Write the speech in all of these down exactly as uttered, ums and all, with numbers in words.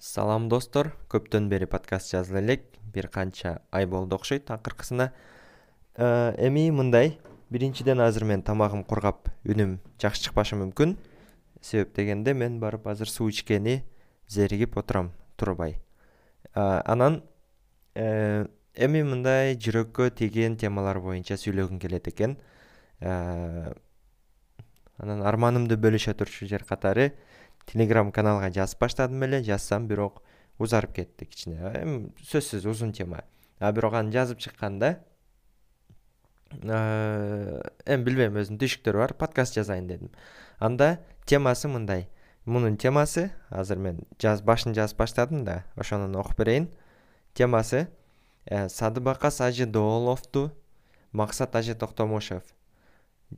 Салам достор, көптөн бери подкаст жазып элек, бир канча ай болду окшойт акыркысына. Эми мындай, биринчиден азыр мен тамагым кургап, үнүм жакшы чыкпашы мүмкүн. Себеп дегенде мен барып азыр суу ичкени зеригип отурам турбай. Анан эми мындай жүрөккө тийген темалар боюнча сүйлөгүм келет экен. Анан арманымды бөлүшө турчу жер катары Telegram каналга жазып баштадым эле, жазсам бирок узарып кетти кичине. Эми сөзсүз узун тема. А бирок аны жазып чыкканда эми билбейм, өзүнүн түйшүктөрү бар, подкаст жазайын дедим. Анда темасы мындай. Мунун темасы, азыр мен жаз башын жазып баштадым да, ошону окуп берейин. Темасы Садыбака Сажидооловду, Максат Ажы Токтомушев.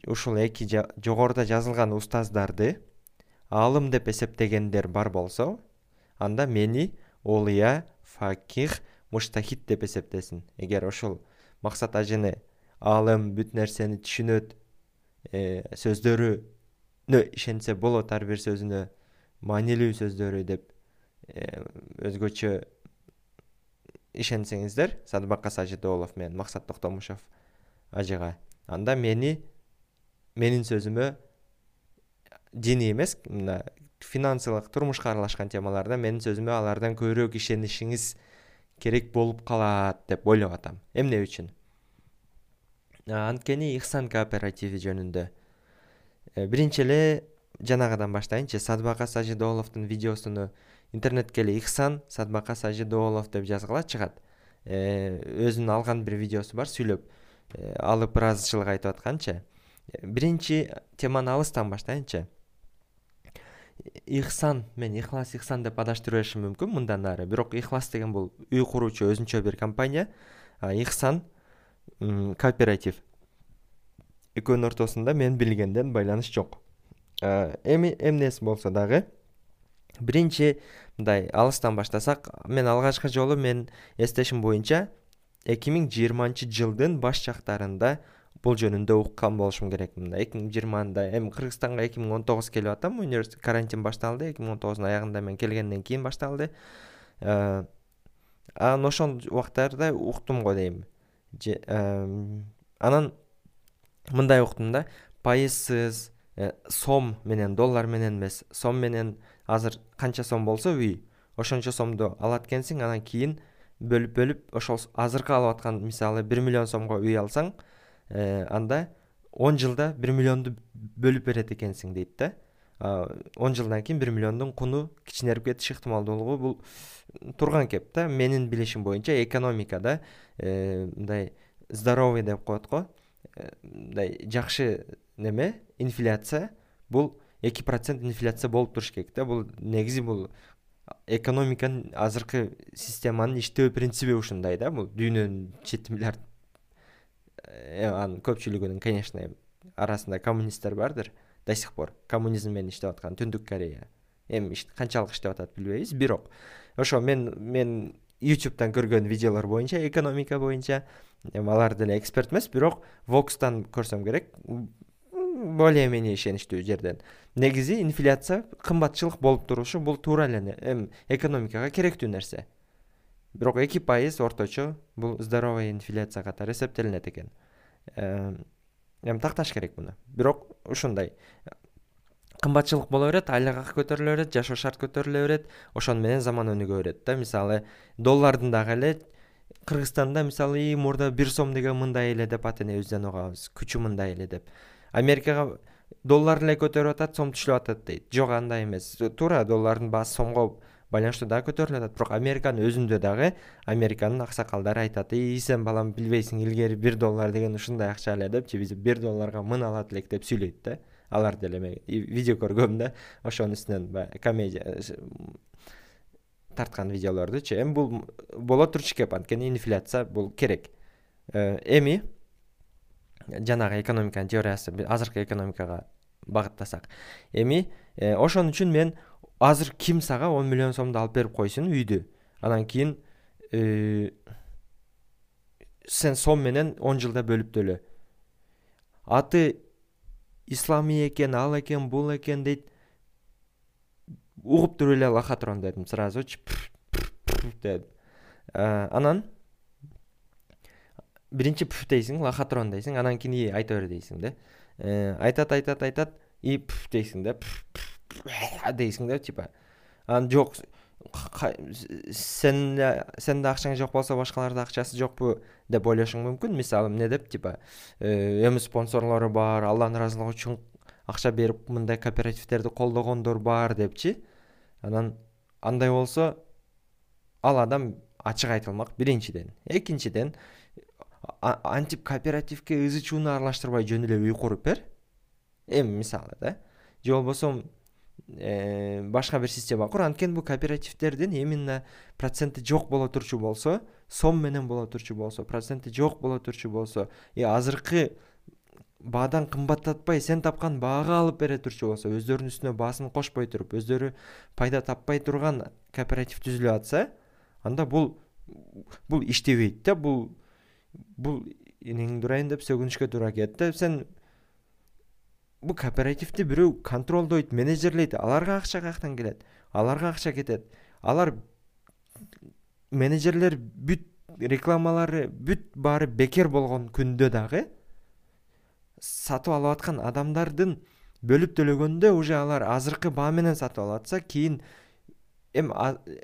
Ушул эки жогоруда жазылган устаздарды алым деп эсептегендер бар болсо, анда мени олия, факих, муштахид деп эсептесин. Эгер ошол Максат Ажыны алым, бүт нерсени түшүнөт, сөздөрүнө ишенсе болот, ар бир сөзүнө маанилүү сөздөрү деп өзгөчө ишенсеңиздер, Садыбака Сажидоолов менен Максат Токтомушев ажыга, анда мени менин сөзүмө диний эмес, мына финансылык, турмушка аралашкан темаларда менин сөзүмө алардан көбүрөөк ишенишиңиз керек болуп калат деп ойлоп атам. Эмне үчүн? Анткени Ихсан кооперативи жөнүндө. Биринчи эле жанагыдан баштайынчы. Садыбака Сажидооловдун видеосуну интернетке эле Ихсан Садыбака Сажидоолов деп жазгыла чыгат. Өзүнүн алган бир видеосу бар, сүйлөп алып ыраазычылык айтып атканчы. Биринчи теманы алыстан баштайынчы. Ихсан, мен Ихлас Ихсан деп адаштырып беришим мүмкүн мындан ары. Бирок Ихлас деген бул үй куруучу өзүнчө бир компания, а Ихсан кооператив. Экөөнүн ортосунда мен билгенден байланыш жок. Эми эмнеси болсо дагы, биринчи мындай алыстан баштасак, мен алгачкы жолу мен эстешим боюнча эки миң жыйырманчы жылдын баш жактарында бул жөнүндө уккан болушум керек. Мында эки миң жыйырмада эми Кыргызстанга эки миң он тогуз келип атам. Университет карантин башталды. эки миң он тогуздун аягында мен келгенден кийин башталды. Анан ошол убактарда уктум го дейм. Анан мындай уктум да, пайызсыз, сом менен, доллар менен эмес, сом менен азыр канча сом болсо үй, ошончо сомду алат экенсиң, анан кийин бөлүп-бөлүп ошол азыркы алып аткан, мисалы бир миллион сомго үй алсаң, анда он жылда бир миллионду бөлүп берет экенсиң дейт да. он жылдан кийин бир миллиондун куну кичинерип кетиш ыктымалдуулугу бул турган кеп да. Менин билишим боюнча экономикада мындай здоровый деп коет го, мындай жакшы неме, инфляция бул эки процент инфляция болуп туруш керек да. Бул негизи бул экономиканын азыркы системанын иштөө принциби ушундай да. Бул дүйнөнүн жети миллиард, анын көпчүлүгүнүн, конечно, арасында коммунисттер бардыр до сих пор. Коммунизм менен иштеп аткан Түндүк Корея. Эми канчалык иштеп атат билбейбиз, бирок ошо мен мен YouTube'дан көргөн видеолор боюнча, экономика боюнча, эми алар деле эксперт эмес, бирок Vox'тан көрсөм керек, более-менее ишеничтүү жерден. Негизи инфляция, кымбатчылык болуп турушу бул туура эле эми экономикага керектүү нерсе. Бирок эки пайыз орточо бул здоровая инфляция катары эсептелинет экен. Эми такташ керек муну. Бирок ушундай кымбатчылык боло берет, айлык акы көтөрүлө берет, жашоо шарт көтөрүлө берет, ошону менен заман өнүгө берет да. Мисалы, доллардын дагы эле Кыргызстанда мисалы мурда бир сом деген мындай эле деп атенебизден угабыз, күчү мындай эле деп. Америкага доллар эле көтөрүп атат, сом түшүп атат дейт. Жок, андай эмес. Туура, доллардын баасы сомго байланыштуу дагы көтөрүлүп атат. Бирок Американын өзүндө дагы Американын аксакалдары айтат: "И сен балам билбейсиң, илгери бир доллар деген ушундай акча эле" депчи, биз бир долларга мын алат элек деп сүйлөйт да. Алар деле мен видео көргөм да, ошонун үстүнөн комедия тарткан видеолордучу. Эми бул боло турчу кеп, анткени инфляция бул керек. Эми жанагы экономиканын теориясы, азыркы экономикага багыттасак. Эми ошон үчүн мен азыр ким сага он миллион сомду алып берип койсун үйдү. Анан кийин сен сом менен он жылда бөлүп төлө. Аты исламий экен, ал экен, бул экен дейт. угуп туруп эле лохотрон дедим сразучу дедим. Анан биринчи пф дейсиң, лохотрон дейсиң, анан кийин и айта бер дейсиң да. Айтат айтат айтат и пф дейсиң да, дейсиң да, типа. Анан жок, сен сенде акчаң жок болсо башкаларда акчасы жокпу деп ойлошуң мүмкүн. Мисалы эмне деп, типа, эми спонсорлору бар, Алланын ыраазылыгы үчүн акча берип мындай кооперативдерди колдогондор бар депчи. Анан андай болсо ал адам ачык айтылмак биринчиден. Экинчиден, антип кооперативге ызы чууну аралаштырбай жөн эле үй куруп бер. Эми мисалы да. Же болбосо башка бир система кур. Анткени бул кооперативдердин именно проценти жок боло турчу болсо, сом менен боло турчу болсо, проценти жок боло турчу болсо, и азыркы баадан кымбаттатпай сен тапкан баага алып бере турчу болсо, өздөрүнүн үстүнө баасын кошпой туруп, өздөрү пайда таппай турган кооператив түзүлүп атса, анда бул бул иштебейт да. Бул бул энеңди урайын деп сөгүнүшкө туура келет да. Сен бул кооперативди бирөө контролдойт, менеджерлейт, аларга акча каяктан келет? Аларга акча кетет. Алар менеджерлер бүт рекламалары бүт баары бекер болгон күндө дагы сатып алып аткан адамдардын бөлүп төлөгөндө уже алар азыркы баа менен сатып алып атса, кийин эми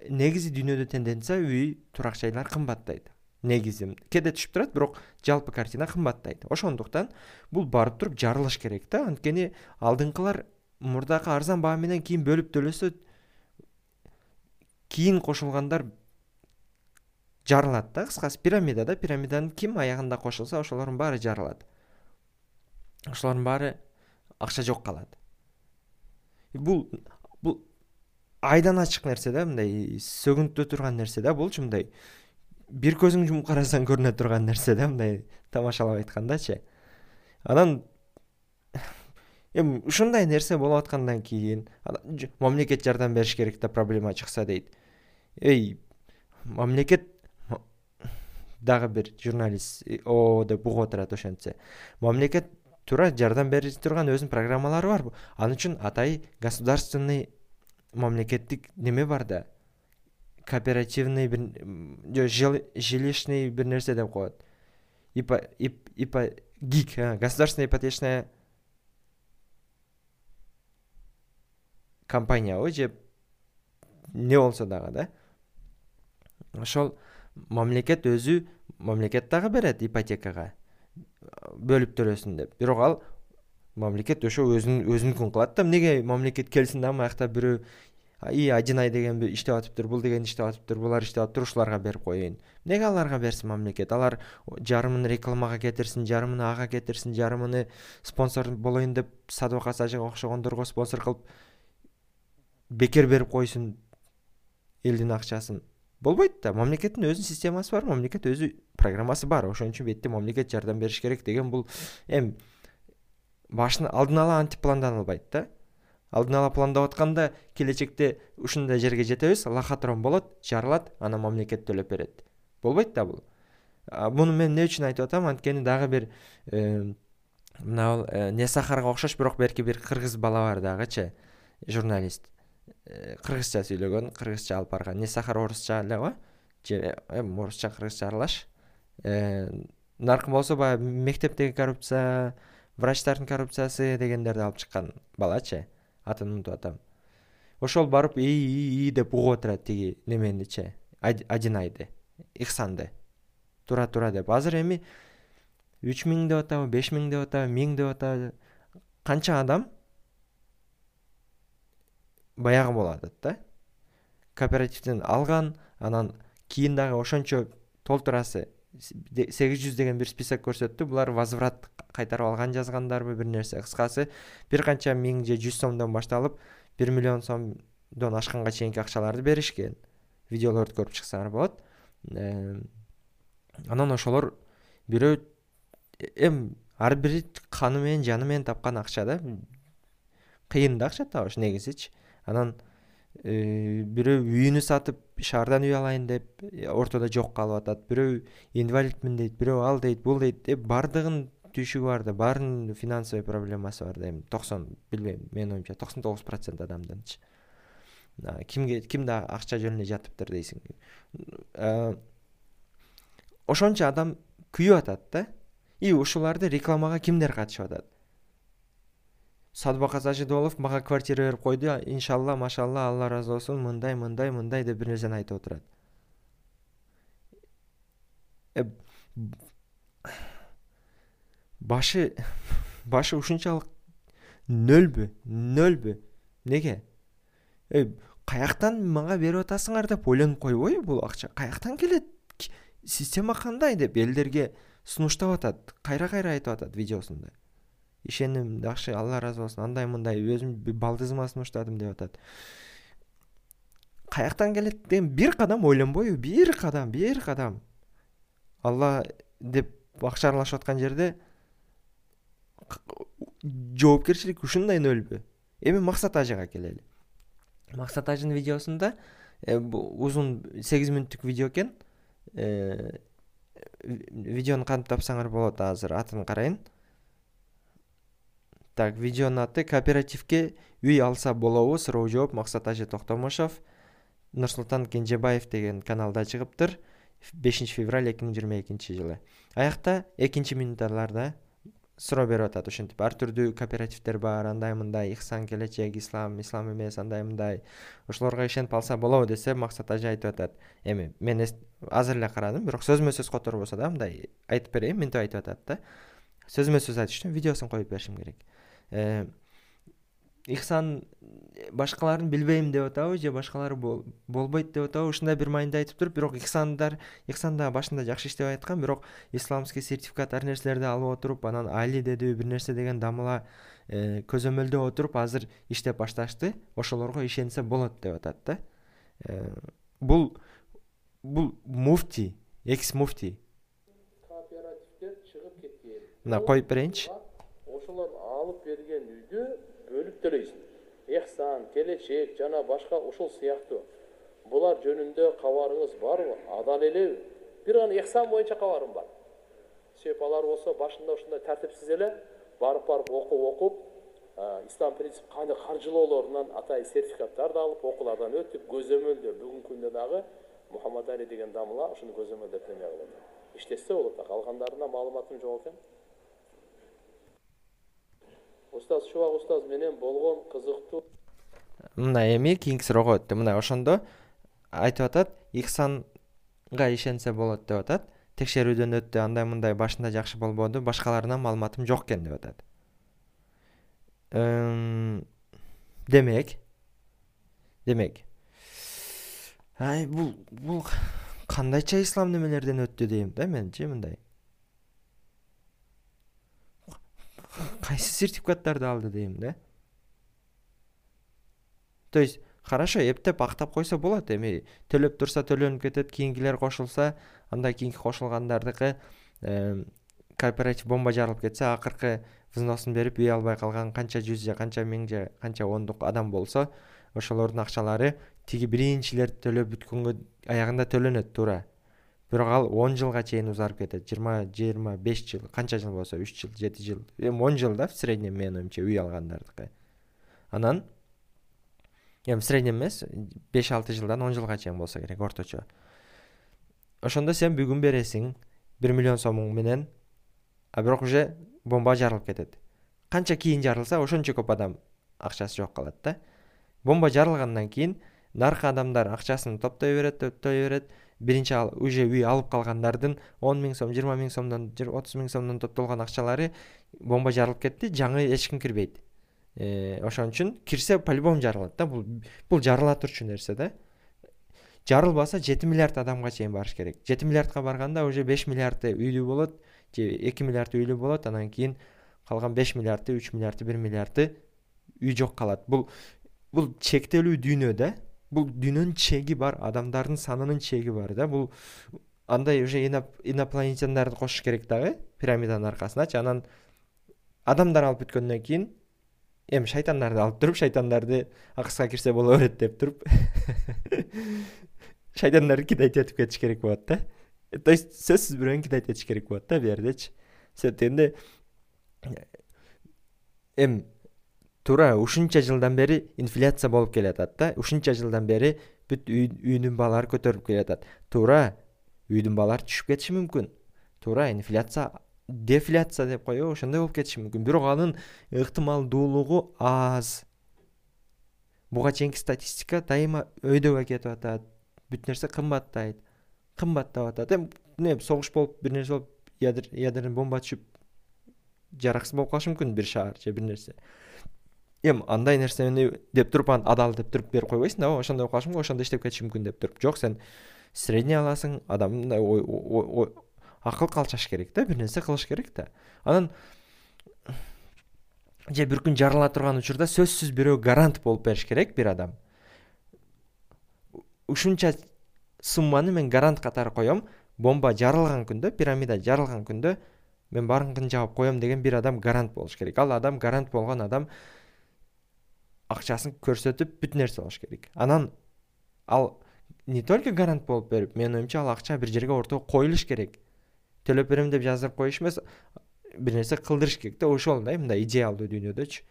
негизи дүйнөдө тенденция үй, турак жайлар кымбаттайт. Негизи кээде түшүп турат, бирок жалпы картина кымбаттайт. Ошондуктан бул барып туруп жарылыш керек да. Анткени алдыңкылар мурдакы арзан баа менен кийин бөлүп төлөсө, кийин кошулгандар жарылат да. Кыскасы пирамида да, пирамиданын ким аягында кошулса, ошолордун баары жарылат. Ошолордун баары акча жок калат. Бул бул айдан ачык нерсе да, мындай сөгүнтө турган нерсе да. Булчу мындай бир көзүң жумуп карасаң көрүнө турган нерсе да, мындай тамашалап айткандачы. Анан эми ушундай нерсе болуп аткандан кийин мамлекет жардам бериш керек да, проблема чыкса дейт. Эй, мамлекет дагы бир журналист о деп угуп отурат ошентсе. Мамлекет туура жардам бере турган өзүнүн программалары бар. Анын үчүн атай государственный мамлекеттик неме бар да. Кооперативный бир жилищный бир нерсе деп коет. Ипа ипа ГИК, государственная ипотечная компания же не болсо дагы да. Ошол мамлекет өзү мамлекет дагы берет ипотекага бөлүп төлөсүн деп. Бирок ал мамлекет ошо өзүнүн өзүнүкүн кылат да. Эмнеге мамлекет келсин да, аякта бирөө и один ай деген иштеп атыптыр, бул деген иштеп атыптыр, булар иштеп атыптыр, ушуларга берип коеюн. Эмнеге аларга берсин мамлекет? Алар жарымын рекламага кетирсин, жарымын ага кетирсин, жарымын спонсор болоюн деп Садык Сажыга окшогондорго спонсор кылып бекер берип койсун элдин акчасын. Болбойт да. Мамлекеттин өзүнүн системасы бар, мамлекет өзү программасы бар. Ошон үчүн бетте мамлекет жардам бериш керек деген бул эми башына алдын ала антип планданылбайт да. Алдын ала пландап атканда келечекте ушундай жерге жетебиз, лохотрон болот, жарылат, анан мамлекет төлөп берет. Болбойт да бул. Муну мен эмне үчүн айтып атам? Анткени дагы бир мына Несахарга окшош, бирок берки бир кыргыз бала бар дагычы, журналист. Кыргызча сүйлөгөн, кыргызча алып барган. Несахар орусча элеби? Же эми орусча кыргызча аралаш. Нарком болсо баягы мектептеги коррупция, врачтардын коррупциясы дегендерди алып чыккан балачы. Атын унутуп атам. Ошол барып и и деп угуп отурат тиги неменичи, один айды, Ихсанды. Тура тура деп. Азыр эми үч миң деп атабы, беш миң деп атабы, миң деп атабы, канча адам баягы болуп атат да. Кооперативден алган, анан кийин дагы ошончо толтурасы сегиз жүз деген бир список көрсөттү. Булар возврат кайтарып алган жазгандарбы бир нерсе. Кыскасы бир канча миң же жүз сомдон башталып бир миллион сомдон ашканга чейинки акчаларды беришкен. Видеолорду көрүп чыксаңар болот. Анан ошолор бирөө эм ар бири каны менен жаны менен тапкан акча да. Кыйын да акча табыш негизичи. Анан бирөө үйүнү сатып шаардан үй алайын деп ортодо жок калып атат. Бирөө инвалидмин дейт, бирөө ал дейт, бул дейт. Бардыгын түйшүгү бар да, баарынын финансовый проблемасы бар да. Эми токсон, билбейм, менин оюмча токсон тогуз процент адамдынчы. кимге кимде акча жөнүнө жатыптыр дейсиң. Ошончо адам күйүп атат да. И ушуларды рекламага кимдер катышып атат? Садыбак Ажидолов мага квартира берип койду, иншалла, машалла, Алла разы болсун, мындай, мындай, мындай деп бир нерсени айтып отурат. Башы башы ушунчалык нөлбү, нөлбү. Неге? Каяктан мага берип атасыңар деп ойлонуп койбойбу бул акча? Каяктан келет? Система кандай деп элдерге сунуштап атат, кайра-кайра айтып атат видеосунда. Ишеним жакшы, Алла разы болсун, андай мындай өзүм балдызыма сунуштадым деп атат. Каяктан келет деген бир кадам ойлонбойбу? Бир кадам, бир кадам. Алла деп акча аралашып аткан жерде жоопкерчилик ушундай нөлбү? Эми Максат Ажыга келели. Максат Ажынын видеосунда узун сегиз мүнөттүк видео экен. Видеону кантип тапсаңар болот, азыр атын карайын. Так, видеонун аты «Кооперативке үй алса болобу?» суроо жооп Максат Ажы Токтомошов, Нурсултан Кенжебаев деген каналда чыгыптыр. бешинчи февраль эки миң жыйырма экинчи жылы. Аякта экинчи минуттарларда суроо берип атат. Ошентип ар түрдүү кооперативдер бар, андай мындай, Ихсан, Келечек, Ислам, Ислам эмес, андай мындай. Ошолорго ишенип алса болобу десе, Максат Ажы айтып атат. Эми мен азыр эле карадым, бирок сөзмө сөз которбосо да мындай айтып берейин, мынтип айтып атат да. Сөзмө сөз айтыштын, видеосун коюп беришим керек. Ихсан башкаларын билбейм деп атабы, же башкалары болбойт деп атабы, ушундай бир майында айтып туруп, бирок Ихсандар, Ихсан да башында жакшы иштеп айткан, бирок исламский сертификат ар нерселерди алып отуруп, анан Али деди бир нерсе деген дамыла көзөмөлдөп отуруп, азыр иштеп башташты. Ошолорго ишенсе болот деп атат да. Бул бул муфти, экс муфти. Кооперативдер чыгып кеткен. Мына коюп берейинчи. Ошолор алып берген үйдү бөлүп төлөйсүң. Ихсан, Келечек жана башка ошол сыяктуу. Булар жөнүндө кабарыңыз барбы? Адал элеби? Бир гана Ихсан боюнча кабарым бар. Себеп алар болсо башында ушундай тартипсиз эле барып барып окуп окуп, ислам принцип кандай каржылоолорунан атай сертификаттарды алып, окуулардан өтүп, көзөмөлдөр бүгүнкү күндө дагы Мухаммад Али деген дамыла ушуну көзөмөлдөп эме кылат. Иштесе болот, калгандарына маалыматым жок экен. Устаз Шубак устаз менен болгон кызыктуу. Мына эми кийинки суроого өттү. Мына ошондо айтып атат, Ихсанга ишенсе болот деп атат. Текшерүүдөн өттү, андай мындай башында жакшы болбоду, башкаларынан маалыматым жок экен деп атат. Демек, демек. Ай, бул бул кандайча ислам немелерден өттү дейм да менчи мындай. Кайсы сертификаттарды алды дейм да. То есть, хорошо, эптеп актап койсо болот, эми төлөп турса төлөнүп кетет, кийинкилер кошулса, анда кийинки кошулгандардыкы кооператив бомба жарылып кетсе, акыркы взносун берип үй албай калган канча жүз же канча миң же канча ондук адам болсо, ошолордун акчалары тиги биринчилер төлөп бүткөнгө аягында төлөнөт туура. Бирок ал он жылга чейин узарып кетет. жыйырма жыйырма беш жыл, канча жыл болсо, үч жыл, жети жыл, эми он жыл да в среднем менин оюмча үй алгандардыкы. Анан эми среднем эмес, беш алты жылдан он жылга чейин болсо керек орточо. Ошондо сен бүгүн бересиң бир миллион сомуң менен, а бирок уже бомба жарылып кетет. Канча кийин жарылса, ошончо көп адам акчасы жок калат да. Бомба жарылгандан кийин наркы адамдар акчасын топтой берет, топтой берет. Биринчи ал уже үй алып калгандардын он миң сом, жыйырма миң сомдон, отуз миң сомдон топтолгон акчалары бомба жарылып кетти, жаңы эч ким кирбейт. Ошон үчүн кирсе по-любому жарылат да. Бул бул жарыла турчу нерсе да. Жарылбаса жети миллиард адамга чейин барыш керек. жети миллиардка барганда уже беш миллиард үйлүү болот, же эки миллиард үйлүү болот, анан кийин калган беш миллиард, үч миллиард, бир миллиард үй жок калат. Бул бул чектелүү дүйнө да. Бул дүйнөнүн чеги бар, адамдардын санынын чеги бар да. Бул андай уже инопланетяндарды кошуш керек дагы пирамиданын аркасыначы. Анан адамдар алып бүткөндөн кийин эми шайтандарды алып туруп, шайтандарды акыска кирсе боло берет деп туруп шайтандарды кидайт этип кетиш керек болот да. То есть сөзсүз бирөөнү кидайт этиш керек болот да бу жердечи. Себептенде эми туура ушунча жылдан бери инфляция болуп келатат да. Ушунча жылдан бери бүт үйдүн баалары көтөрүлүп келатат. Туура үйдүн баалары түшүп кетиши мүмкүн. Туура инфляция, дефляция деп коебу, ошондой болуп кетиши мүмкүн. Бирок анын ыктымалдуулугу аз. Буга чейинки статистика дайыма өйдөөгө кетип атат. Бүт нерсе кымбаттайт, кымбаттап атат. Эми эмне согуш болуп, бир нерсе болуп, ядерный бомба түшүп жараксыз болуп калышы мүмкүн бир шаар же бир нерсе. Эми андай нерсени деп туруп, анан адал деп туруп берип койбойсуң да, ошондой болуп калышы мүмкүн, ошондо иштеп кетиши мүмкүн деп туруп. Жок, сен средний аласың, адам мындай акыл калчаш керек да, бир нерсе кылыш керек да. Анан же бир күн жарыла турган учурда сөзсүз бирөө гарант болуп бериш керек, бир адам. Ушунча сумманы мен гарант катары коем, бомба жарылган күндө, пирамида жарылган күндө мен баарыңкын жаап коем деген бир адам гарант болуш керек. Ал адам, гарант болгон адам акчасын көрсөтүп бүт нерсе болуш керек. Анан ал не только гарант болуп берип, менин оюмча ал акча бир жерге ортого коюлуш керек. Төлөп берем деп жаздырып коюш эмес, бир нерсе кылдырыш керек да, ошол да, мындай идеалдуу дүйнөдөчү.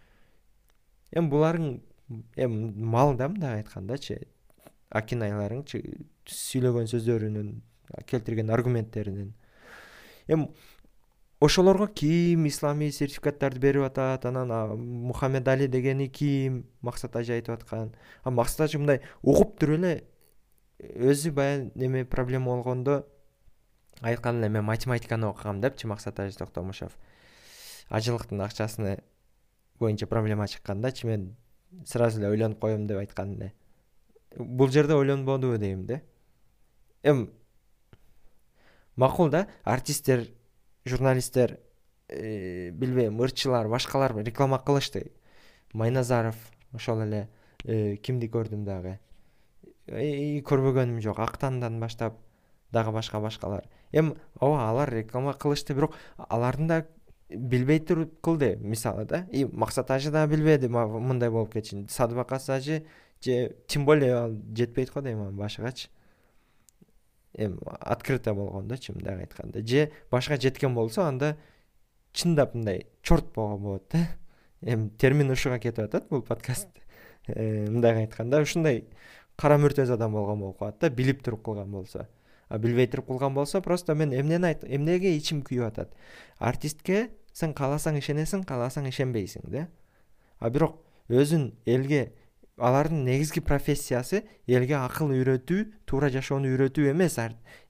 Эми буларың эми мал да, мындай айткандачы, акинаяларыңчы, сүйлөгөн сөздөрүнүн, келтирген аргументтеринин. Эми ошолорго ким исламий сертификаттарды берип атат, анан Мухаммед Али дегени ким, Максат Ажы айтып аткан. А Максат Ажы мындай угуп туруп эле өзү баягы неме проблема болгондо айткан эле, мен математиканы окугам депчи Максат Ажы Токтомушов. Ажылыктын акчасыны боюнча проблема чыккандачы, мен сразу эле ойлонуп коем деп айткан эле. Бул жерде ойлонбодубу дейм да. Эми макул да, артисттер, журналисттер, билбейм, ырчылар, башкалар реклама кылышты. Майназаров, ошол эле кимди көрдүм дагы. Көрбөгөнүм жок, Актандан баштап дагы башка башкалар. Эми ооба, алар реклама кылышты, бирок алардын да билбей туруп кылды, мисалы да. И Максат Ажы да билбеди мындай болуп кетишин. Садыбакас Ажы же тем более ал жетпейт го дейм анын башыгачы. Эми открыто болгондочу, мындай айтканда. Же башка жеткен болсо, анда чындап мындай чорт болгон болот да. Эми термин ушуга кетип атат бул подкаст. Мындай айтканда, ушундай кара мүртөз адам болгон болуп калат да, билип туруп кылган болсо. А билбей туруп кылган болсо, просто мен эмнени айт, эмнеге ичим күйүп атат. Артистке сен кааласаң ишенесиң, кааласаң ишенбейсиң да. А бирок өзүн элге, алардын негизги профессиясы элге акыл үйрөтүү, туура жашоону үйрөтүү эмес.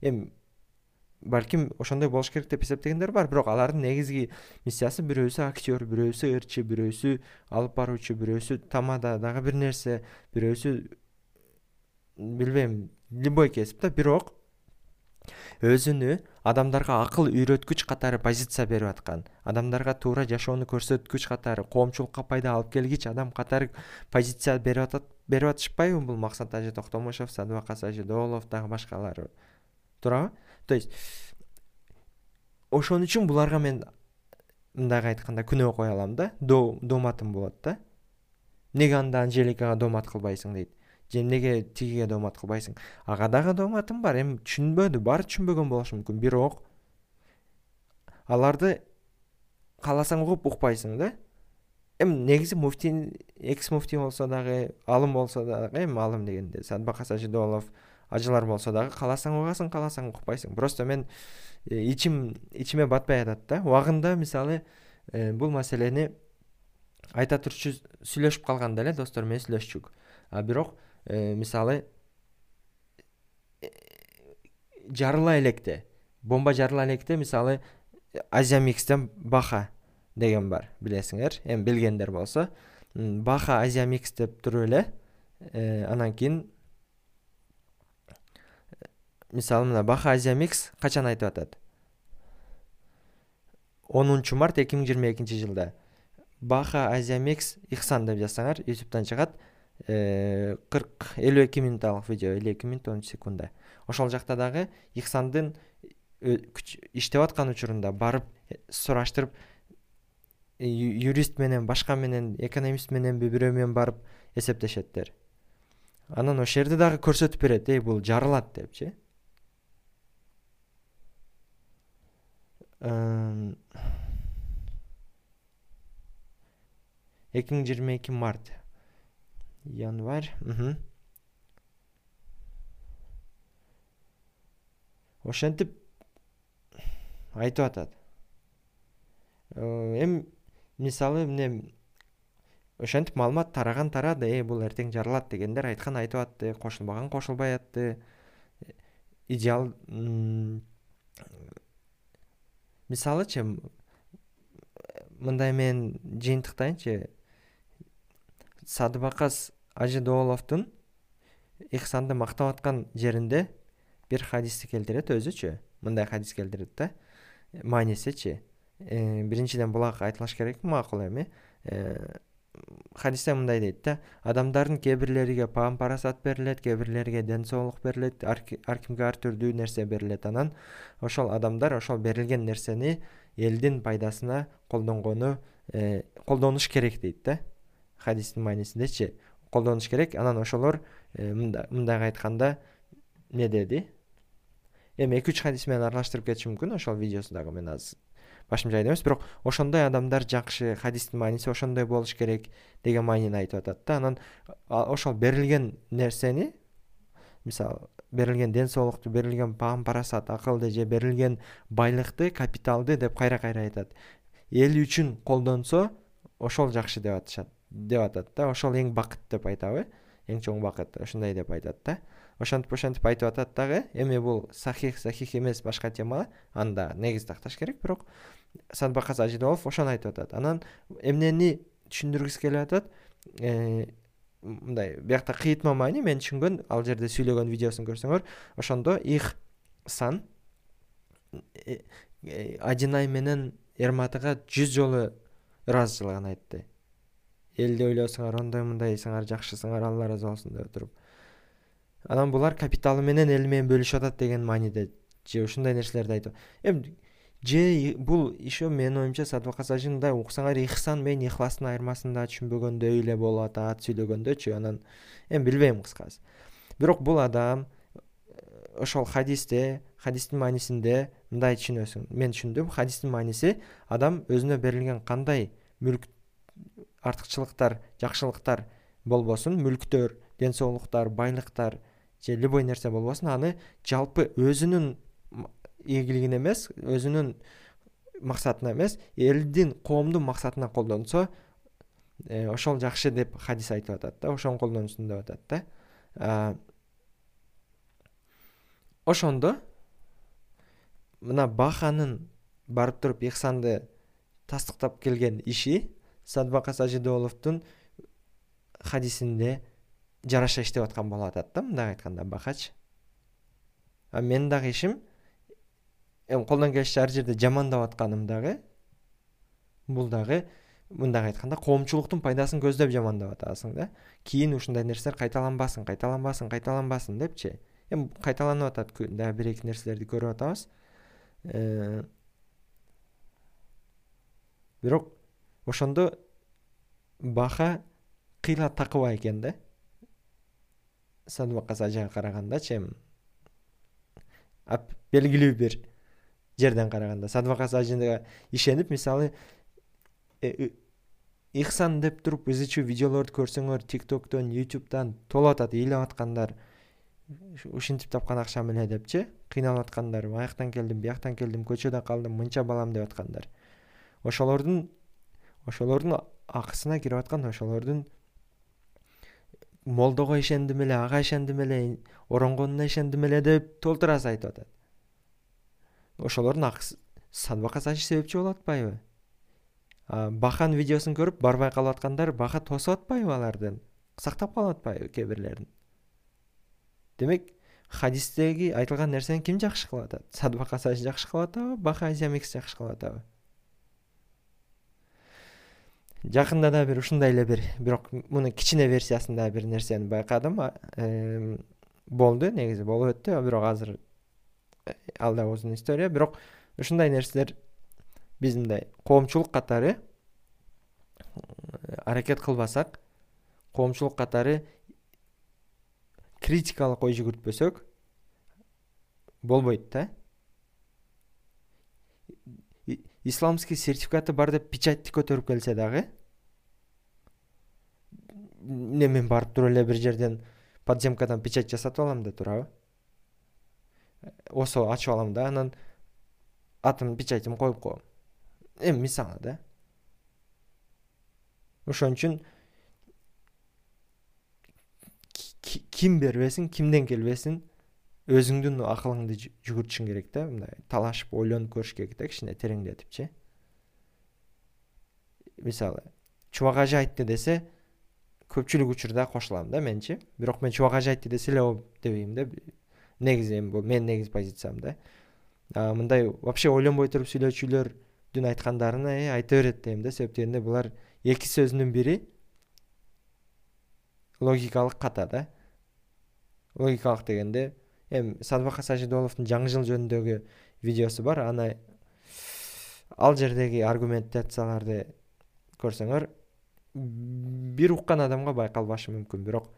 Эми балким ошондой болуш керек деп эсептегендер бар, бирок алардын негизги миссиясы бирөөсү актер, бирөөсү ырчы, бирөөсү алып баруучу, бирөөсү тамада дагы бир нерсе, бирөөсү билбейм, любой кесип да, бирок өзүнү адамдарга акыл үйрөткүч катары позиция берип аткан, адамдарга туура жашоону көрсөткүч катары, коомчулукка пайда алып келгич адам катары позиция берип атат, берип атышпайбы бул Максат Ажы Токтомушов, Садыбакас Ажы Доолов дагы башкалары. Туурабы? То есть ошон үчүн буларга мен мындай айтканда күнөө кое алам да, дооматым болот да. Неге анда Анжеликага доомат кылбайсың дейт. Же эмнеге тигиге доомат кылбайсың? Ага дагы дооматым бар. Эми түшүнбөдү, баары түшүнбөгөн болушу мүмкүн, бирок аларды кааласаң угуп, укпайсың да. Эми негизи муфтий, экс муфтий болсо дагы, алым болсо дагы, эми алым дегенде Садыбакас Ажы Доолов, ажылар болсо дагы кааласаң угасың, кааласаң укпайсың. Просто мен ичим ичиме батпай атат да. Убагында мисалы бул маселени айта турчу сүйлөшүп калганда эле достор менен сүйлөшчүк. А бирок мисалы жарыла электе, бомба жарыла электе, мисалы Азия Микстен Баха деген бар, билесиңер. Эми билгендер болсо, Баха Азия Микс деп туруп эле, анан кийин мисалы мына Баха Азия Микс качан айтып атат? онунчу март эки миң жыйырма экинчи жылда Баха Азия Микс Ихсан деп жазсаңар, YouTube'дан чыгат. кырк элүү эки минуталык видео, элүү эки минут он үч секунда. Ошол жакта дагы Ихсандын иштеп аткан учурунда барып сураштырып, юрист менен, башка менен, экономист менен бирөө менен барып эсептешеттер. Анан ошол жерде дагы көрсөтүп берет, эй бул жарылат депчи. эки миң жыйырма эки март январь ошентип айтып атат. Эми мисалы эмне ошентип маалымат тараган тарады, э бул эртең жарылат дегендер айткан айтып атты, кошулбаган кошулбай атты. Идеал мисалычы мындай мен жыйынтыктайынчы. Садыбакас Ажыдооловдун Ихсанды мактап аткан жеринде бир хадисти келтирет өзүчү. Мындай хадис келтирет да. Маанисичи. Биринчиден булак айтылыш керек макул эми. Хадисте мындай дейт да, адамдардын кээ бирлериге паам парасат берилет, кээ бирлериге ден соолук берилет, ар кимге ар түрдүү нерсе берилет. Анан ошол адамдар ошол берилген нерсени элдин пайдасына колдонгону колдонуш керек дейт да. Хадистин маанисиндечи колдонуш керек. Анан ошолор мындай айтканда не деди? Эми эки үч хадис менен аралаштырып кетишим мүмкүн, ошол видеосу дагы мен азыр башым жайда эмес, бирок ошондой адамдар жакшы, хадистин мааниси ошондой болуш керек деген маанини айтып атат да. Анан ошол берилген нерсени, мисалы берилген ден соолукту, берилген паам парасат, акылды же берилген байлыкты, капиталды деп кайра-кайра айтат. Эл үчүн колдонсо ошол жакшы деп атышат, деп атат да. Ошол эң бакыт деп айтабы? Эң чоң бакыт ошондой деп айтат да. Ошентип ошентип айтып атат дагы. Эми бул сахих, сахих эмес башка тема, анда негиз такташ керек, бирок Садыбакас Ажыдоолов ошону айтып атат. Анан эмнени түшүндүргүсү келип атат? Мындай биякта кыйытма маани мен түшүнгөн, ал жерде сүйлөгөн видеосун көрсөңөр, ошондо Ихсан Ажынай менен Эрматыга жүз жолу ыраазычылыгын айтты. Элди ойлосуңар, ондой мындай сыңар жакшысыңар, Алла ыраазы болсун деп туруп. Анан булар капиталы менен эл менен бөлүшүп атат деген мааниде же ушундай нерселерди айтып. Эми же бул ишо менин оюмча Садыбакас Ажындай уксаңар Ихсан менен Ихластын айырмасын да түшүнбөгөндөй эле болуп атат сүйлөгөндөчү. Анан эми билбейм кыскасы. Бирок бул адам ошол хадисте, хадистин маанисинде мындай түшүнөсүң. Мен түшүндүм. Хадистин мааниси адам өзүнө берилген кандай мүлк артыкчылыктар, жакшылыктар болбосун, мүлктөр, ден соолуктар, байлыктар же любой нерсе болбосун, аны жалпы өзүнүн ийгилигине эмес, өзүнүн максатына эмес, элдин, коомдун максатына колдонсо, ошол жакшы деп хадис айтып атат да. Ошону колдонсун деп атат да. Ошондо мына Баханын барып туруп Ихсанды тастыктап келген иши Садыбакас Ажыдооловдун хадисинде жараша иштеп аткан болуп атат да, мындай айтканда Бахач. А мен дагы ишим эми колдон келишинче ар жерде жамандап атканым дагы бул дагы мындай айтканда коомчулуктун пайдасын көздөп жамандап атасың да. Кийин ушундай нерселер кайталанбасын, кайталанбасын, кайталанбасын депчи. Эми кайталанып атат, дагы бир эки нерселерди көрүп атабыз. Бирок ошондо Баха кыйла такыба экен да. Садыбакас Ажыга карагандачы эми белгилүү бир жерден караганда Садыбакас Ажыга ишенип, мисалы Ихсан деп туруп өзүчө видеолорду көрсөңөр, TikToктон, YouTube'дан толуп атат, ыйлап аткандар, ушинтип тапкан акчам эле депчи, кыйналып аткандар, аяктан келдим, бияктан келдим, көчөдө калдым, мынча балам деп аткандар. Ошолордун ошолордун акысына кирип аткан, ошолордун молдого ишендим эле, ага ишендим эле, оронгонуна ишендим эле деп толтура айтып атат. Ошолордун акысы Садыбакас Ажы себепчи болуп атпайбы? Бахан видеосун көрүп барбай калып аткандар Баха тосуп атпайбы алардын? Сактап калып атпайбы кээ бирлерин? Демек, хадистеги айтылган нерсени ким жакшы кылып атат? Садыбакас Ажы жакшы кылып атабы? Баха Азиамикс жакшы кылып атабы? Жакында да бир ушундай эле бир, бирок муну кичине версиясында бир нерсени байкадым. Болду, негизи болуп өттү, бирок азыр ал да узун история. Бирок ушундай нерселер биз мындай коомчулук катары аракет кылбасак, коомчулук катары критикалык ой жүгүртпөсөк болбойт да. Исламский сертификаты бар деп печатьти көтөрүп келсе дагы, эмне мен барып туруп эле бир жерден подземкадан печать жасатып алам да турабы, осо ачып алам да анан атым печатым коюп коем. Эми мисалы да. Ошон үчүн ким бербесин, кимден келбесин өзүңдүн акылыңды жүгүртүшүң керек да. Мындай талашып ойлонуп көрүш керек да, кичине тереңдетипчи. Мисалы, Чубак ажы айтты десе, көпчүлүк учурда кошулам да менчи. Бирок мен Чубак ажы айтты десе эле ооп дебейм да. Негизи эми бул менин негизи позициям да. А мындай вообще ойлонбой туруп сүйлөөчүлөрдүн айткандарын э айта берет дейм да. Себеп дегенде булар эки сөзүнүн бири логикалык ката да. Логикалык дегенде эми Садыбакас Сажидоловдун жаңы жыл жөнүндөгү видеосу бар. Аны ал жердеги аргументацияларды көрсөңөр бир уккан адамга байкалбашы мүмкүн, бирок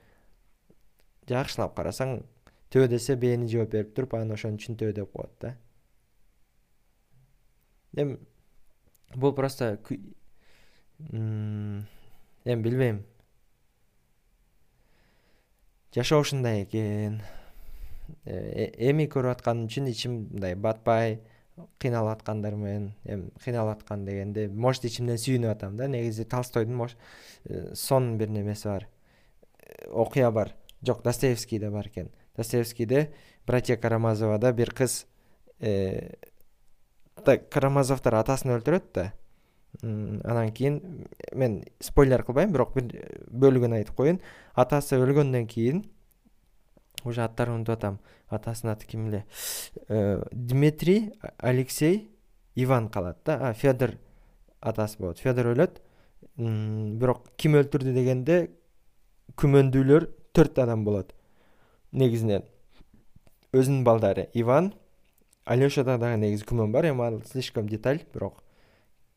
жакшылап карасаң төө десе бээни жооп берип туруп, анан ошон үчүн төө деп коет да. Эми бул просто эми билбейм. Жашоо ушундай экен. Эми көрүп атканым үчүн ичим мындай батпай, кыйналып аткандармын. Эми кыйналып аткан дегенде, может ичимден сүйүнүп атам да. Негизи Толстойдун сон бир немеси бар. Окуя бар. Жок, Достоевскийде бар экен. Достоевскийде Братья Карамазовада бир кыз Карамазовдор атасын өлтүрөт да. Анан кийин мен спойлер кылбайм, бирок бир бөлүгүн айтып коеюн. Атасы өлгөндөн кийин, уже аттарын унутуп атам. Атасынын аты ким эле? Дмитрий, Алексей, Иван калат да. А Федор атасы болот. Федор өлөт. Бирок ким өлтүрдү дегенде күмөндүүлөр төрт адам болот. Негизинен өзүнүн балдары Иван, Алешада дагы негизи күмөн бар. Эми ал слишком деталь, бирок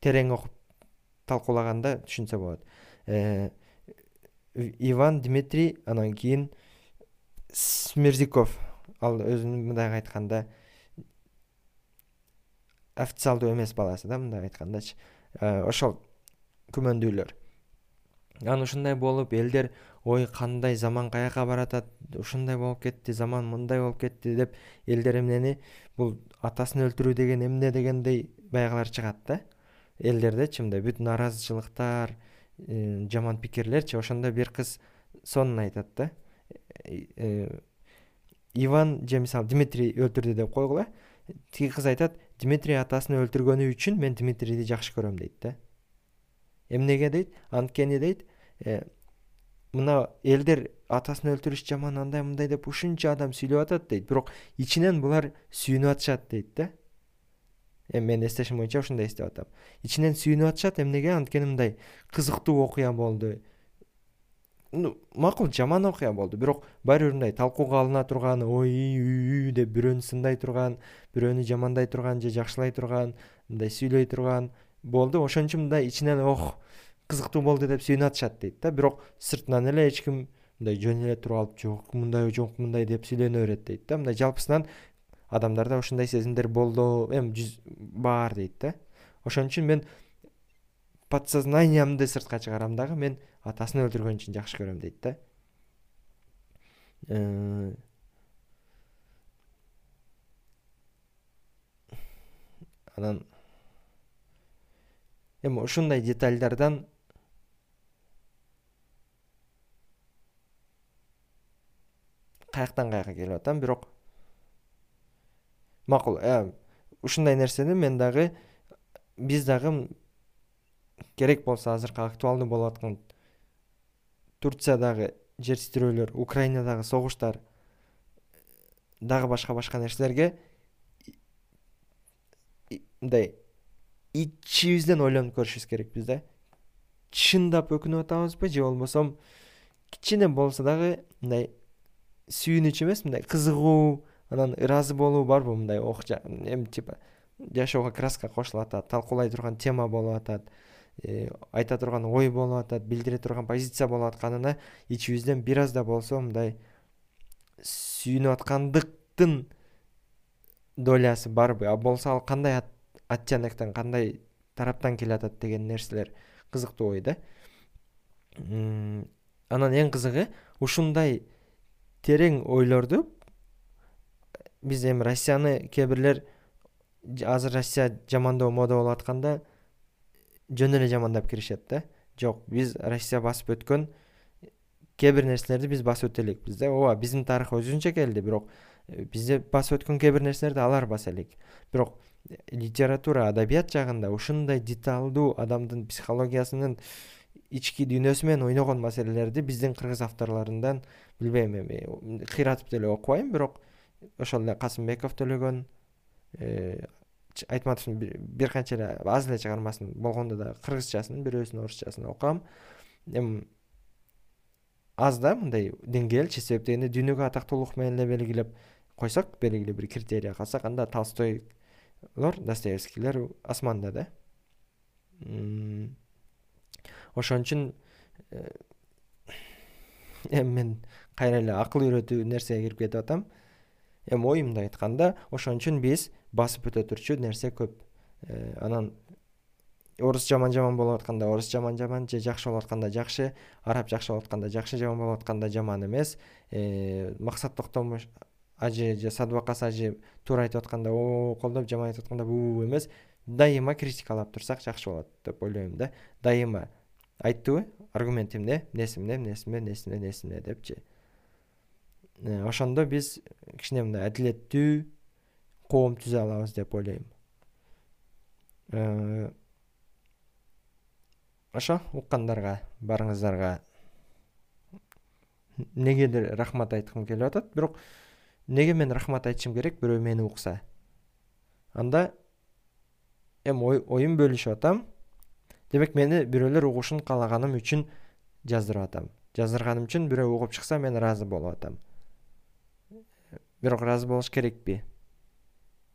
терең окуп талкуулаганда түшүнсө болот. Иван, Дмитрий, анан кийин Смерзиков. Ал өзүнүн мындай айтканда официалдуу эмес баласы да, мындай айткандачы. Ошол күмөндүүлөр. Анан ушундай болуп, элдер ой кандай заман каяка баратат, ушундай болуп кетти, заман мындай болуп кетти деп элдер эмнени бул атасын өлтүрүү деген эмне дегендей байгалар чыгат да. Элдердечи мындай бүт нааразычылыктар, жаман пикирлерчи. Ошондо бир кыз сонун айтат да. Иван же мисалы Дмитрий өлтүрдү деп койгула. Тиги кыз айтат, Дмитрий атасын өлтүргөнү үчүн мен Дмитрийди жакшы көрөм дейт да. Эмнеге дейт? Анткени дейт, мына элдер атасын өлтүрүш жаман, андай мындай деп ушунча адам сүйлөп атат дейт, бирок ичинен булар сүйүнүп атышат дейт да. Эми мен эстешим боюнча ушундай эстеп атам. Ичинен сүйүнүп атышат, эмнеге? Анткени мындай кызыктуу окуя болду. Ну, макул жаман окуя болду, бирок баары бир мындай талкууга алына турган, ой деп бирөөнү сындай турган, бирөөнү жамандай турган же жакшылай турган, мындай сүйлөй турган болду. Ошон үчүн мындай ичинен ох, кызыктуу болду деп сүйүнүп атышат дейт да. Бирок сыртынан эле эч ким мындай жөн эле туруп алып, жок мындай, жок мындай деп сүйлөнө берет дейт да. Мындай жалпысынан адамдарда ушундай сезимдер болду, эми жүз бар дейт да. Ошон үчүн мен подсознаниямды сыртка чыгарам дагы, мен атасын өлтүргөн үчүн жакшы көрөм дейт да. Анан эми ушундай детальдардан каяктан каяка келип атам, бирок макул, ушундай нерсени мен дагы, биз дагы керек болсо азыркы актуалдуу болуп аткан Турциядагы жер титирөөлөр, Украинадагы согуштар, дагы башка-башка нерселерге мындай ичибизден ойлонуп көрүшүбүз керекпиз да. Чындап өкүнүп атабызбы же болбосо кичине болсо дагы мындай сүйүнүч эмес, мындай кызыгуу, анан ыраазы болуу барбы, мындай ох, эми типа жашоого краска кошулуп атат, талкуулай турган тема болуп атат, айта турган ой болуп атат, билдире турган позиция болуп атканына ичибизден бир аз да болсо мындай сүйүнүп аткандыктын долясы барбы? А болсо ал кандай оттенектен, кандай тараптан келе атат деген нерселер кызыктуу ой да. Анан эң кызыгы ушундай терең ойлорду биз эми Россияны кээ бирлер азыр Россия жамандоо мода болуп атканда жөн эле жамандап киришет да. Жок, биз Россия басып өткөн кээ бир нерселерди биз басып өтө элекпиз да. Ооба, биздин тарых өзүнчө келди, бирок бизде басып өткөн кээ бир нерселерди алар баса элек. Бирок литература, адабият жагында ушундай деталдуу адамдын психологиясынын ички дүйнөсү менен ойногон маселелерди биздин кыргыз авторлорундан билбейм, эми кыйратып деле окубайм, бирок ошол эле Касымбеков төлөгөн, Айтматовдун бир канча эле аз эле чыгармасын болгондо да кыргызчасын, бирөөсүн орусчасын окугам. Эми аз да мындай деңгээл, себеп дегенде дүйнөгө атактуулук менен эле белгилеп койсок, белгилүү бир критерий калсак, анда Толстойлор, Достоевскийлер асманда да. Ошон үчүн эми мен кайра эле акыл үйрөтүү нерсеге кирип кетип атам. Эми оюмду айтканда, ошон үчүн биз басып өтө турчу нерсе көп. Анан орус жаман-жаман болуп атканда орус жаман-жаман, же жакшы болуп атканда жакшы, араб жакшы болуп атканда жакшы, жаман болуп атканда жаман эмес. Максат Токтомуш ажы же Садыбакас ажы туура айтып атканда о колдоп, жаман айтып атканда буу эмес. Дайыма критикалап турсак жакшы болот деп ойлойм да. Дайыма айттыбы, аргумент эмне, эмнеси эмне, эмнеси эмне, эмнеси эмне, эмнеси эмне депчи. Ошондо биз кичине мындай адилеттүү коом түзө алабыз деп ойлойм. Ошо уккандарга барыңыздарга негедир рахмат айткым келип атат, бирок неге мен рахмат айтышым керек бирөө мени укса? Анда эми оюм бөлүшүп атам. Демек мени бирөөлөр угушун каалаганым үчүн жаздырып атам. Жаздырганым үчүн бирөө угуп чыкса мен ыраазы болуп атам. Бирок ыраазы болуш керекпи?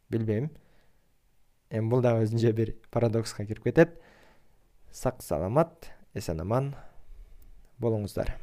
Билбейм. Эми бул дагы өзүнчө бир парадокска кирип кетет. Сак саламат, эсен аман болуңуздар.